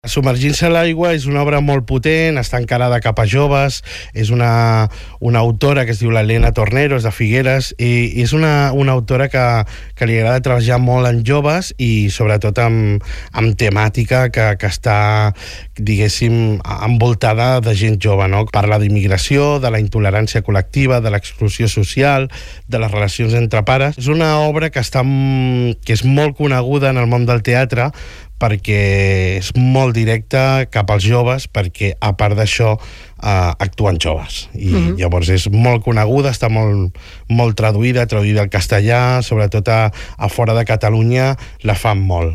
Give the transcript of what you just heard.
Submergint-se a l'aigua és una obra molt potent, està encarada cap a joves, és una autora que es diu l'Helena Tornero, és de Figueres, i és una autora que li agrada treballar molt en joves i sobretot amb temàtica que està, diguéssim, envoltada de gent jove, no? Parla d'immigració, de la intolerància col·lectiva, de l'exclusió social, de les relacions entre pares. És una obra que és molt coneguda en el món del teatre perquè és molt directa cap als joves, perquè a part d'això actuen joves i llavors és molt coneguda, està molt traduïda al castellà, sobretot a fora de Catalunya la fan molt.